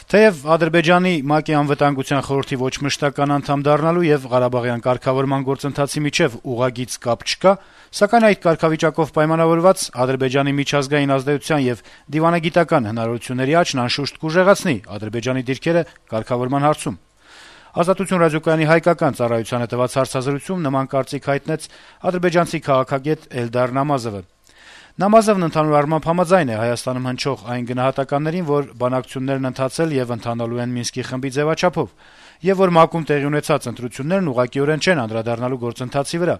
Թեև Ադրբեջանի ՄԱԿ-ի անվտանգության խորհրդի ոչ մշտական անդամ դառնալու եւ Ղարաբաղյան կարգավորման գործընթացի միջեւ ուղղագիծ կապ չկա, սակայն այդ կարգավիճակով պայմանավորված Ադրբեջանի միջազգային ազդեցության եւ դիվանագիտական հնարավորությունների աճն անշուշտ կուժեղացնի Ադրբեջանի դիրքերը կարգավորման հարցում։ Ազատություն ռադիոկայանի հայկական ծառայությանը տված հարցազրույցում նման կարծիք հայտնեց ադրբեջանցի քաղաքագետ Էլդար Նամազովը։ Նամազովն ընդհանուր առմամբ համաձայն է Հայաստանում հնչող այն գնահատականներին, որ բանակցություններն ընթացել եւ ընթանալու են Մինսկի խմբի ձեւաչափով, եւ որ ՄԱԿ-ում տեղի ունեցած ընտրություններն ուղղակիորեն չեն անդրադառնալու գործընթացի վրա։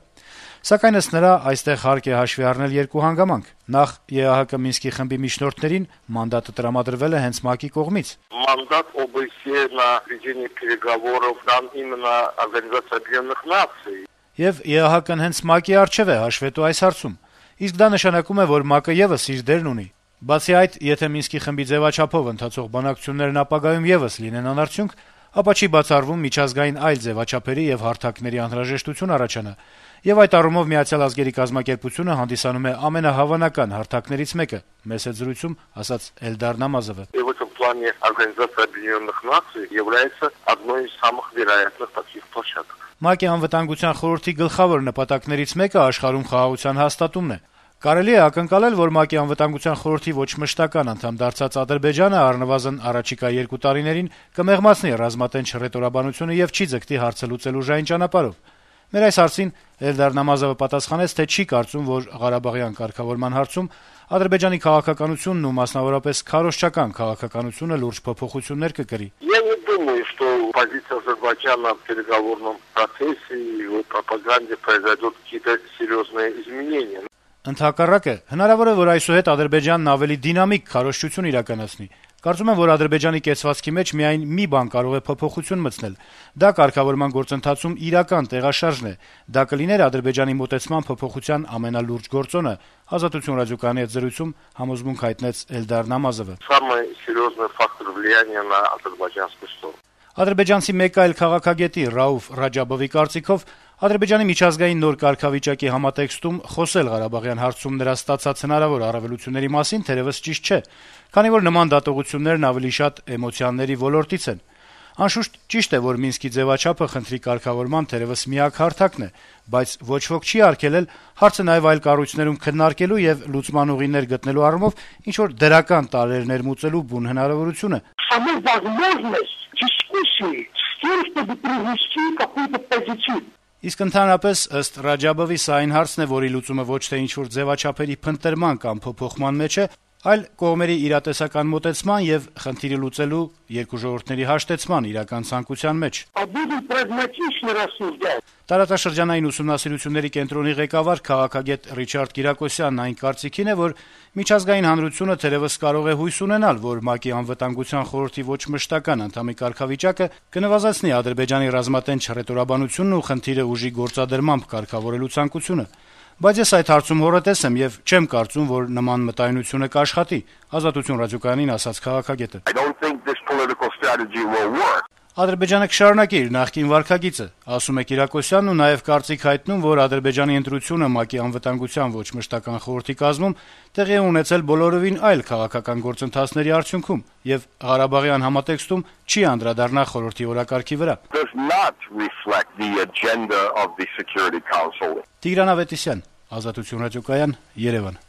Սակայն ըստ նրա այստեղ հարկ է հաշվի առնել երկու հանգամանք. նախ ԵԱՀԿ Մինսկի խմբի միջնորդներին մանդատը տրամադրվել է հենց ՄԱԿ-ի կողմից։ Мандат ОБСЕ на ведение переговоров дан именно Организация Объединенных Наций. Եվ ԵԱՀԿ-ն հենց ՄԱԿ-ի առջեւ է հաշվետու այս հարցում։ Իսկ դա նշանակում է, որ ՄԱԿ-ը եւս իր դերն ունի։ Բացի այդ, եթե Մինսկի խմբի ձեւաչափով ընթացող բանակցություններն ապագայում եւս լինեն անարդյունք, ապա չի բացառվում միջազգային այլ ձեւաչափերի եւ հարթակների անհրաժեշտություն առաջանա, եւ այդ առումով Միացյալ Ազգերի կազմակերպությունը հանդիսանում է ամենահավանական հարթակներից մեկը, մեծ զրույցում ասաց Էլդար Նամազովը։ И в этом плане Организация Объединенных Наций является одной из самых вероятных таких площадок. ՄԱԿ-ի անվտանգության խորհրդի գլխավոր նպատակներից մեկը աշխարհում խաղաղության հաստատումն է։ Կարելի է ակնկալել, որ ՄԱԿ-ի անվտանգության խորհրդի ոչ մշտական անդամ դարձած Ադրբեջանը առնվազն առաջիկա 2 տարիներին կմեղմացնի ռազմատենչ հռետորաբանությունը եւ չի ձգտի հարցը լուծելու ուժային ճանապարհով։ Մեր այս հարցին Էլդար Նամազովը պատասխանեց, թե չի կարծում, որ Ղարաբաղյան կարգավորման հարցում Ադրբեջանի քաղաքականությունն ու մասնավորապես քարոզչական քաղաքականությունը լուրջ փոփոխություններ կկրի։ Я не думаю, что позиция Азербайджана в переговорном процессе и в пропаганде произойдут какие-то серьезные изменения. Ընդհակառակը, հնարավոր է, որ այսուհետ Ադրբեջանն ավելի դինամիկ քարոզչություն իրականացնի։ Կարծում եմ, որ Ադրբեջանի կեցվածքի մեջ միայն մի բան կարող է փոփոխություն մտցնել։ Դա կարգավորման գործընթացում իրական տեղաշարժն է։ Դա կլիներ Ադրբեջանի մոտեցման փոփոխության ամենալուրջ գործոնը, Ազատություն ռադիոկայանի հետ զրույցում համոզմունք հայտնեց Էլդար Նամազովը։ Самый серьезный фактор влияния на азербайджанскую сторону. Ադրբեջանցի մեկ այլ քաղաքագետի Ռաուֆ Ռաջաբովի կարծիքով Ադրբեջանի միջազգային նոր կարգավիճակի համատեքստում խոսել Ղարաբաղյան հարցում նրա ստացած հնարավոր առավելությունների մասին թերևս ճիշտ չէ, քանի որ նման դատողություններն ավելի շատ էմոցիաների ոլորտից են։ Անշուշտ ճիշտ է, որ Մինսկի ձևաչափը խնդրի կարգավորման թերևս միակ հարթակն է, բայց ոչ ոք չի արգելել հարցը նաև այլ կառույցներում քննարկելու եւ լուծման ուղիներ գտնելու առումով ինչ որ դրական տարրեր ներմուծելու բուն հնարավորությունը։ Իսկ ընդհանրապես ըստ Ռաջաբովի սա այն հարցն է, որի լուծումը ոչ թե ինչ-որ ձևաչափերի փնտրման կամ փոփոխման մեջ է, այլ կողմերի իրատեսական մոտեցման եւ խնդիրը լուծելու երկու ժողովուրդների հաշտեցման իրական ցանկության մեջ։ Տարածաշրջանային ուսումնասիրությունների կենտրոնի ղեկավար քաղաքագետ Ռիչարդ Կիրակոսյանն այն կարծիքին է, որ միջազգային հանրությունը թերևս կարող է հույս ունենալ, որ ՄԱԿ-ի անվտանգության խորհրդի ոչ մշտական անդամի կարգավիճակը կնվազեցնի Ադրբեջանի ռազմատենչ հռետորաբանությունն ու խնդիրը ուժի գործադրմամբ կարգավորելու ցանկությունը։ Բայց ես այդ հարցում հոռետես եմ եւ չեմ կարծում, որ նման մտայնությունը կաշխատի, Ազատություն ռադիոկայանին ասաց քաղաքագետը։ Ադրբեջանը կշարունակի իր նախկին վարքագիծը, ասում է Կիրակոսյանն ու նաեւ կարծիք հայտնում, որ Ադրբեջանի ընտրությունը ՄԱԿ-ի անվտանգության ոչ մշտական խորհրդի կազմում տեղի է ունեցել բոլորովին այլ քաղաքական գործընթացների արդյունքում եւ Ղարաբաղյան համատեքստում չի անդրադառնա խորհրդի օրակարգի վրա։ Տիգրան Ավետիսյան, Ազատություն ռադիոկայան, Երևան։